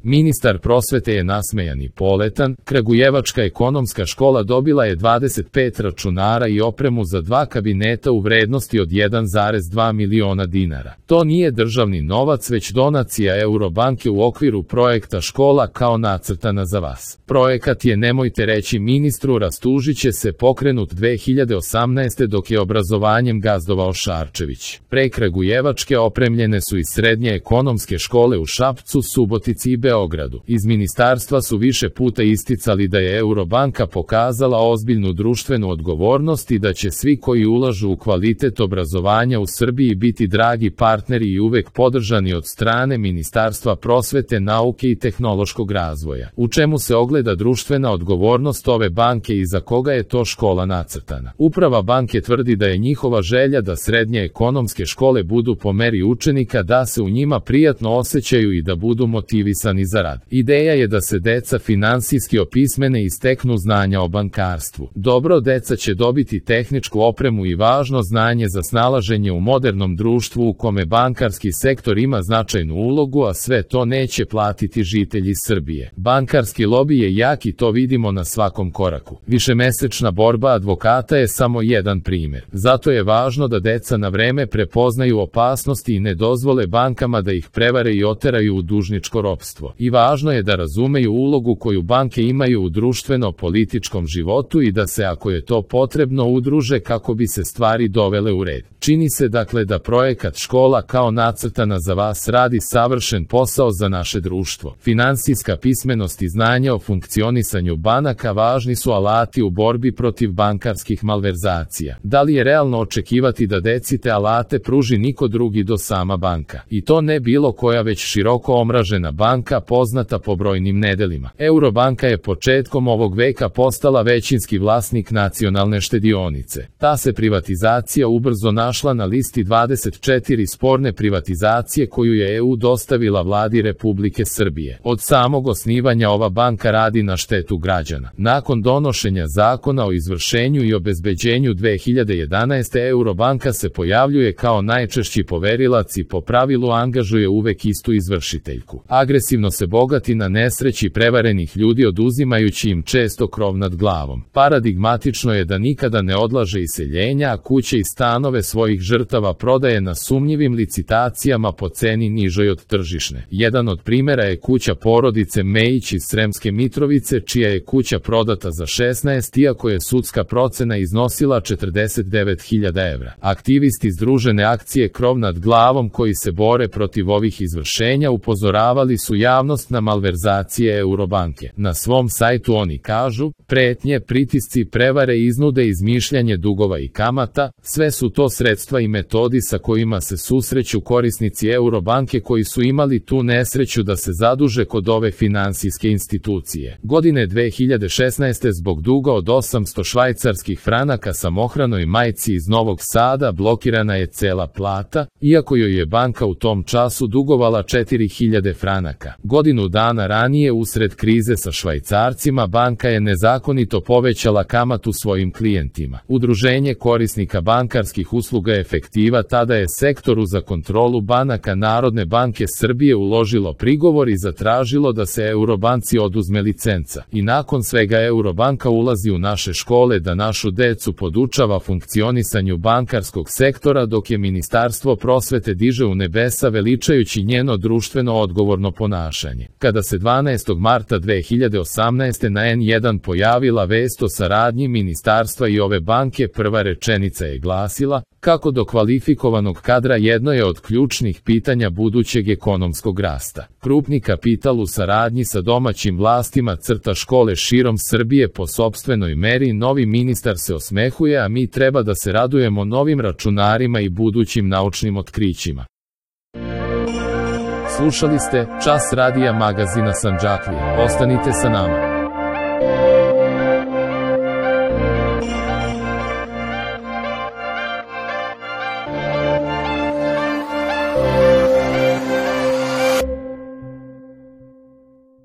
Ministar prosvete je nasmejan i poletan. Kragujevačka ekonomska škola dobila je 25 računara i opremu za 2 kabineta u vrednosti od 1,2 miliona dinara. To nije državni novac, već donacija Eurobanke u okviru projekta Škola kao nacrtana za vas. Projekat je, nemojte reći ministru, rastužiće se, pokrenut 2018. dok je obrazovanjem gazdovao Šarčević. Pre Kragujevačke opremljene su i srednje ekonomske škole u Šapcu, Subotici i Beogradu. Iz ministarstva su više puta isticali da je Eurobanka pokazala ozbiljnu društvenu odgovornost i da će svi koji ulažu u kvalitet obrazovanja u Srbiji biti dragi partneri i uvek podržani od strane Ministarstva prosvete, nauke i tehnološkog razvoja. U čemu se ogleda društvena odgovornost ove banke i za koga je to škola nacrtana? Uprava banke tvrdi da je njihova želja da srednje ekonomske škole budu po meri učenika, da se u njima prijatno osjećaju i da budu motivisani za rad. Ideja je da se deca finansijski opismene i steknu znanja o bankarstvu. Dobro, deca će dobiti tehničku opremu i važno znanje za snalaženje u modernom društvu u kome bankarski sektor ima značajnu ulogu, a sve to neće platiti žitelji Srbije. Bankarski lobi je jak i to vidimo na svakom koraku. Višemesečna borba advokata je samo jedan primjer. Zato je važno da deca na vreme prepoznaju opasnosti i ne dozvole bankama da ih prevare i oteraju u dužničko ropstvo. I važno je da razumeju ulogu koju banke imaju u društveno-političkom životu i da se, ako je to potrebno, udruže kako bi se stvari dovele u red. Čini se dakle da projekat Škola kao nacrtana za vas radi savršen posao za naše društvo. Finansijska pismenost i znanja o funkcionisanju banaka važni su alati u borbi protiv bankarskih malverzacija. Da li je realno očekivati da deci te alate pruži niko drugi do sama banka? I to ne bilo koja, već široko omražena banka poznata po brojnim nedelima. Eurobanka je početkom ovog veka postala većinski vlasnik Nacionalne štedionice. Ta se privatizacija ubrzo našla na listi 24 sporne privatizacije koju je EU dostavila vladi Republike Srbije. Od samog osnivanja ova banka radi na štetu građana. Nakon donošenja zakona o izvršenju i obezbeđenju 2011. Eurobanka se pojavljuje kao najčešći poverilac i po pravilu angažuje uvek istu izvršiteljku. Agresivno se bogati na nesreći prevarenih ljudi, oduzimajući im često krov nad glavom. Paradigmatično je da nikada ne odlaže iseljenja, a kuće i stanove svojih žrtava prodaje na sumnjivim licitacijama po ceni nižoj od tržišne. Jedan od primjera je kuća porodice Mejić iz Sremske Mitrovice, čija je kuća prodata za 16, iako je sudska procena iznosila 49.000 evra. Aktivisti Združene akcije Krov nad glavom, koji se bore protiv ovih izvršenja, upozoravali su javnost na malverzacije Eurobanke. Na svom sajtu oni kažu: pretnje, pritisci, prevare, iznude, izmišljanje dugova i kamata, sve su to sredstva i metodi sa kojima se susreću korisnici Eurobanke koji su imali tu nesreću da se zaduže kod ove finansijske institucije. Godine 2016. zbog duga od 800 švajcarskih franaka samohranoj majci iz Novog Sada blokirana je cela plata, iako joj je banka u tom času dugovala 4000 franaka. Godinu dana ranije, usred krize sa švajcarcima, banka je nezakonito povećala kamatu svojim klijentima. Udruženje korisnika bankarskih usluga Efektiva tada je Sektoru za kontrolu banaka Narodne banke Srbije uložilo prigovor i zatražilo da se Eurobanci oduzme licenca. I nakon svega Eurobanka ulazi u naše škole da našu decu podučava funkcionisanju bankarskog sektora, dok je Ministarstvo prosvete diže u nebesa veličajući njeno društveno odgovorno ponašanje. Kada se 12. marta 2018. na N1 pojavila vest o saradnji ministarstva i ove banke, prva rečenica je glasila: kako do kvalifikovanog kadra jedno je od ključnih pitanja budućeg ekonomskog rasta. Krupni kapital u saradnji sa domaćim vlastima crta škole širom Srbije po sopstvenoj meri. Novi ministar se osmehuje, a mi treba da se radujemo novim računarima i budućim naučnim otkrićima. Slušali ste Čas radija magazina Sandžaklije. Ostanite sa nama.